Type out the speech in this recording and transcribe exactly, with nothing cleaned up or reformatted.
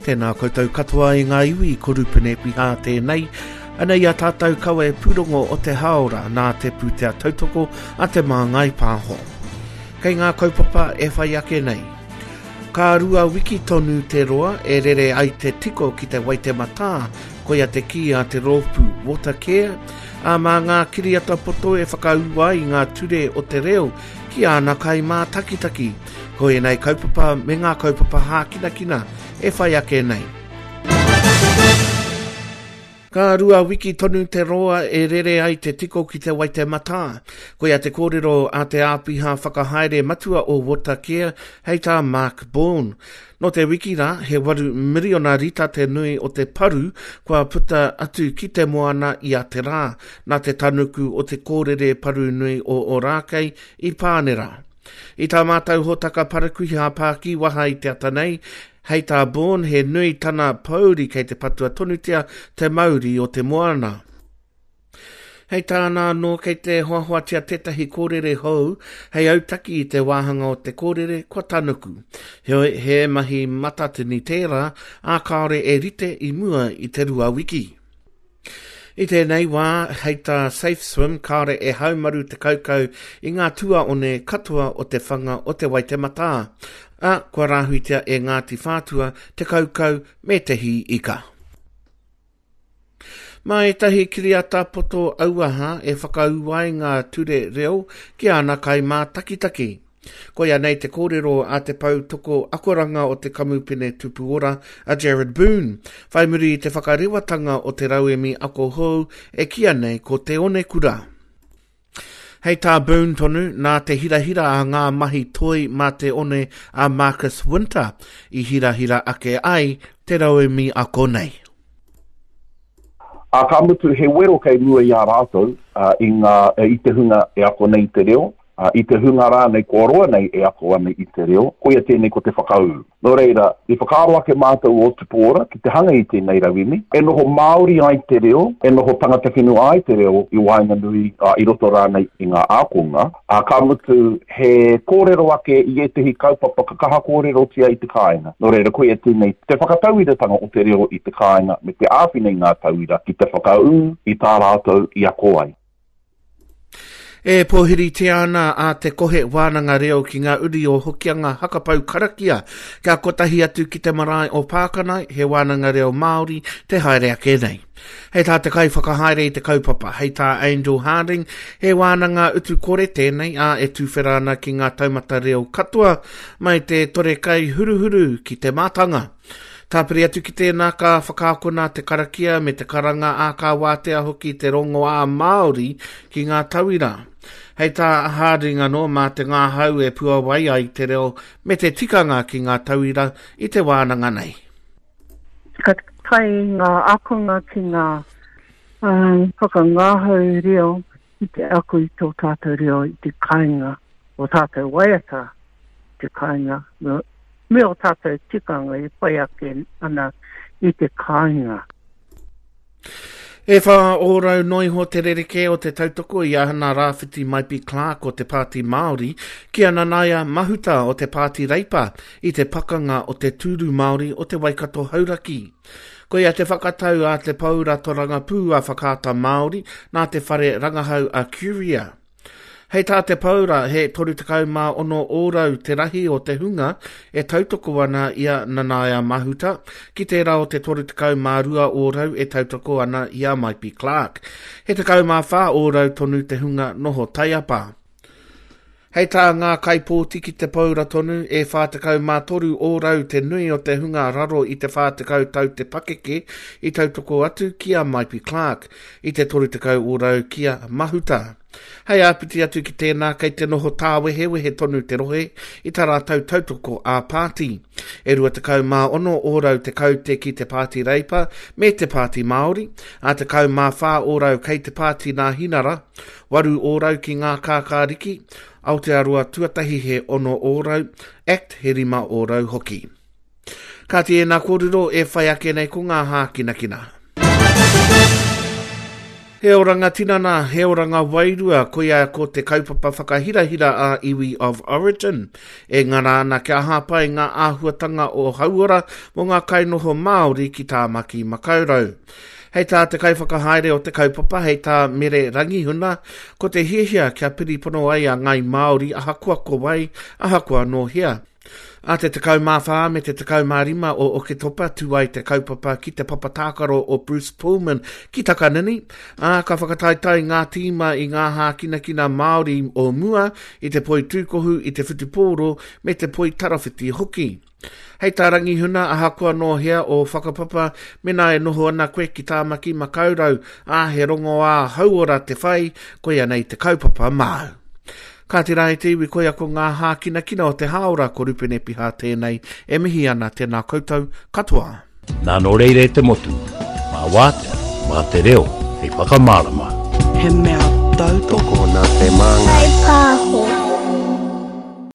Tēnā koutou katoa i ngā iwi, ko Rupene Piha tēnei. Anei a tātou kawe pūrongo o te haora nā te pūtea tautoko a Te Māngai Pāho. Kei ngā kaupapa e whai ake nei. Ka rua wiki tonu te roa e rere ai te tiko ki te Waitematā, koia te kī a te rōpū Watercare, ā mā ngā kiriata poto e whakaū ai ngā ture o te reo ki āna kaimātakitaki. Ko ēnei kaupapa me ngā kaupapa hākinakina e whai ake nei. Ka rua wiki tonu te roa e rere ai te tiko ki te Waitematā. Koia te kōrero a te āpiha whakahaere matua o Watercare hei tā Mark Bourne. Nō te wiki rā, he waru miriona rita te nui o te paru kua puta atu ki te moana i a te rā, nā te tanuku o te kōrere paru nui o Ōrākei i Pānera. I tā mātou hōtaka parakuiha pākiwaha i te ata nei, hei tā Bourne he nui tana pōuri kei te patua tonutia te mauri o te moana. Hei tāna anō kei te hoahoatia tētahi kōrere hou hei autaki i te wāhanga o te kōrere kua tanuku. Heoi, he mahi matatini tērā, ā kāore e rite i mua i te rua wiki. I tēnei wā, hei tā Safe Swim, kāore e haumaru te kaukau i ngā tuaone katoa o te whanga o te Waitematā, ā, kua rāhuitia e Ngāti Whātua te kaukau me te hī ika. Mā ētahi kiriata poto auaha e whakaū ai ngā ture reo ki āna kaimātakitaki. Koia nei te kōrero a te pou toko akoranga o te kamupene Tupu Ora a Jared Boone, whai muri i te whakarewatanga o te rauemi ako hou e kīia nei ko Te Onekura. Hei tā Boone tonu, nā te hirahira a ngā mahi toi mā te one a Marcus Winter i hirahira ake ai te rauemi ako nei. Ā, ka mutu he wero kei mua i a rātou i, ngā, i te hunga e ako nei i te reo, i te hunga rānei kua roa nei e ako ana i te reo, koia tēnei ko te whakaū. Nō reira, i whakaaro ake mātou o Tupu Ora ki te hanga i tēnei rauemi, e noho Māori ai te reo, e noho tangata whenua ai te reo i waenganui, i roto rānei i ngā ākonga, ā, ka mutu he kōrero ake i ētehi kaupapa ka kaha kōrerotia i te kāinga. Nō reira, koia tēnei te whakatauiratanga o te reo i te kāinga me te āwhina i ngā tauira ki te whakaū i tā rātou i ako ai. E pōhiritia ana a Te Kohe Wānanga Reo ki ngā uri o Hokianga Hakapau Karakia kia kotahi atu ki te marae o Pākanae, he wānanga reo Māori te haere ake nei. Hei tā te kaiwhakahaere i te kaupapa, hei tā Angel Harding, he wānanga utu kore tēnei, ā, e tuwhera ana ki ngā taumata reo katoa, mai te tore kai huruhuru ki te mātanga. Tāpiri atu ki tēnā ka whakaakona te karakia me te karanga ā ka wātea hoki te rongoā Māori ki ngā tauira. Hei tā Harding anō mā te ngāhau e puawai ai te reo me te tikanga ki ngā tauira i te wānanga nei. Ka tae ngā ākonga ki ngā um, whakangāhau reo ki te ako i tō tātou reo i te kāinga, o tātou waiata i te kāinga, me, me o tātou tikanga e whai ake ana i te kāinga. E whā ōrau noa iho te rerekē o te tautoko i a Hana Rāwhiti Maipi Clark o te Pāti Māori ki a Nanaia Mahuta o te Pāti Reipa i te pakanga o te tūru Māori o te Waikato Hauraki. Koia te whakatau a te Paura Torangapū a Whakaata Māori nā te whare rangahau a Curia. Hei tā te Paura, he toru tekau mā ono ōrau te rahi o te hunga e tautoko ana i a Nanaia Mahuta, ki tērā o te toru tekau mā rua ōrau e tautoko ana i a Maipi Clark. He tekau mā whā ōrau tonu te hunga noho taiapa. Hei tā ngā kaipōti ki te Paura tonu, e whā tekau mā toru ōrau te nui o te hunga raro i te whā tekau tau te pakeke i tautoko atu ki a Maipi Clark, i te toru tekau ōrau ki a Mahuta. Hei āpiti atu ki tēnā kei te noho tāwehewehe tonu te rohe i tā rātou tautoko ā-pāti. E rua tekau mā ono ōrau te kaute ki te Pāti Reipa me te Pāti Māori, ā tekau mā whā ōrau kei te Pāti Nāhinara, waru ōrau ki ngā kākāriki, Aotearoa tuatahi he ono ōrau, Act he rima ōrau hoki. Kāti ēnā kōrero e whai ake nei ko ngā hākinakina. He oranga tinana, he oranga wairua, koia ko te kaupapa whakahirahira a Iwi of Origin. E ngana ana kia hāpai ngā āhuatanga o hauora mō ngā kainoho Māori ki Tāmaki Makaurau. Hei tā te kaiwhakahaere o te kaupapa, hei tā Mere Rangihuna, ko te hiahia kia piripono ai a Ngai Māori ahakoa ko wai, ahakoa nō hea. A te tekau mā whā me te tekau mā rima o Oketopa tū ai te kaupapa ki te papa tākaro o Bruce Pullman ki Takanini, ā, ka whakataetae ngā tīma i ngā hākinakina Māori o mua i te poi tūkohu, i te whutupōro me te poi tarawhiti hoki. Hei tā Rangihuna, ahakoa nō hea o whakapapa, mena e noho ana koe ki Tāmaki Makaurau, ā, he rongoā hauora te whai, koia nei te kaupapa māu. Ka te rā e te iwi, koia ko ngā hākinakina o te hāora, ko Rupene Piha tēnei, e mihi ana tēnā koutou katoa. Nā nō reira e te motu, mā wātea, mā te reo, hei whakamārama. He mea tautoko Tokona te māngai. Whai pāho.